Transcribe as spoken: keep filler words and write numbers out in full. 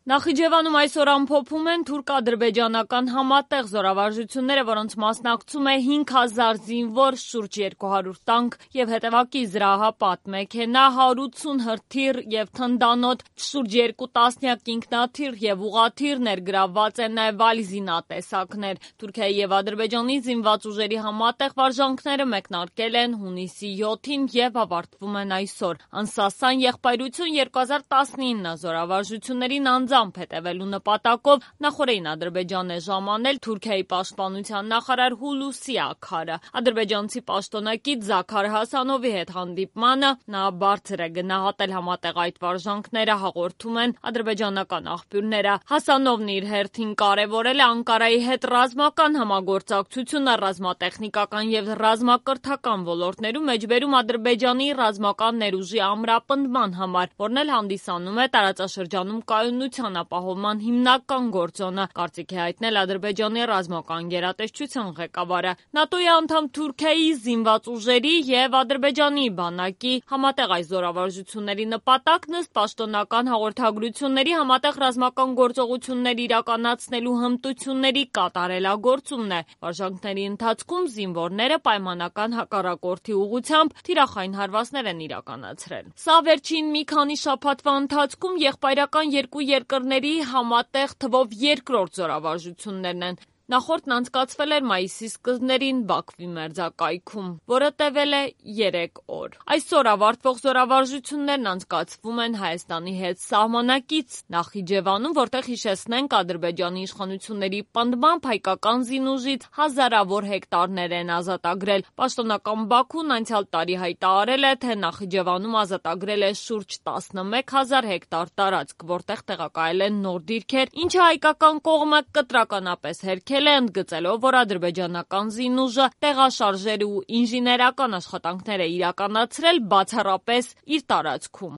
Նախիջևանում այսօր ամփոփում են թուրք-ադրբեջանական համատեղ զորավարժությունները, որոնց մասնակցում է հինգ հազար զինվոր, շուրջ երկու հարյուր տանկ և հետևակի զրահապատ մեքենա, հարյուր ութսուն հրթիռ և թնդանոթ, շուրջ երկու տասնյակ ինքնաթիռ և ուղղաթիռ, ներգրավված են նաև այլ զինատեսակներ։ Թուրքիայի և Ադրբեջանի զինված ուժերի համատեղ վարժանքները մեկնարկել են հունիսի յոթին և ավարտվում են այսօր։ Անսասան եղբայրություն երկու հազար տասնինը զորավարժություններին անձամբ հետևելու նպատակով նախօրեին Ադրբեջան է ժամանել Թուրքիայի պաշտպանության նախարար Հուլուսի Աքարը։ Ադրբեջանցի պաշտոնակից Զաքար Հասանովի հետ հանդիպմանը նա բարձր է գնահատել համատեղ այդ վարժանքները, հաղորդում են ադրբեջանական աղբյուրները։ Հասանովն իր հերթին կարևորել է Անկարայի հետ ռազմական համագործակցությունը ռազմատեխնիկական և ռազմակրթական ոլորտներում, մեջբերում Ադրբեջանի ռազմական ներուժի ամրապնդման համար, որն էլ հանդիսանում է տարածաշրջանում կայունության ապահովման հիմնական գործոնը, կարծիք է հայտնել Ադրբեջանի ռազմական գերատեսչության ղեկավարը։ ՆԱՏՕ-ի անդամ Թուրքիայի զինված ուժերի և Ադրբեջանի բանակի համատեղ այս զորավարժությունների նպատակն ըստ պաշտոնական հաղորդագրությունների համատեղ ռազմական գործողություններ իրականացնելու հմտությունների կատարելագործումն է։ Վարժանքների ընթացքում զինվորները պայմանական հակառակորդի ուղղությամբ թիրախային հարվածներ են իրականացրել։ Սա վերջին մի քանի շաբաթվա ընթացքում եղբայրական երկու երկրների համատեղ թվով երկրորդ զորավարժություններն են։ Նախորդն անցկացվել էր մայիսի սկզբներին Բաքվի մերձակայքում, որը տևել է երեք օր։ Այսօր ավարտվող զորավարժություններն անցկացվում են Հայաստանի հետ սահմանակից Նախիջևանում, որտեղ, հիշեցնենք, Ադրբեջանի իշխանությունների պնդմամբ հայկական զինուժից հազարավոր հեկտարներ են ազատագրել։ Պաշտոնական Բաքուն անցյալ տարի հայտարարել է, թե Նախիջևանում ազատագրել է շուրջ տասնմեկ հազար հեկտար տարածք, որտեղ տեղակայել են նոր դիրքեր, ինչը հայկական կողմը կտրականապես հերքել է, ընդգծելով, որ ադրբեջանական զինուժը տեղաշարժեր ու ինժեներական աշխատանքներ է իրականացրել բացառապես իր տարածքում։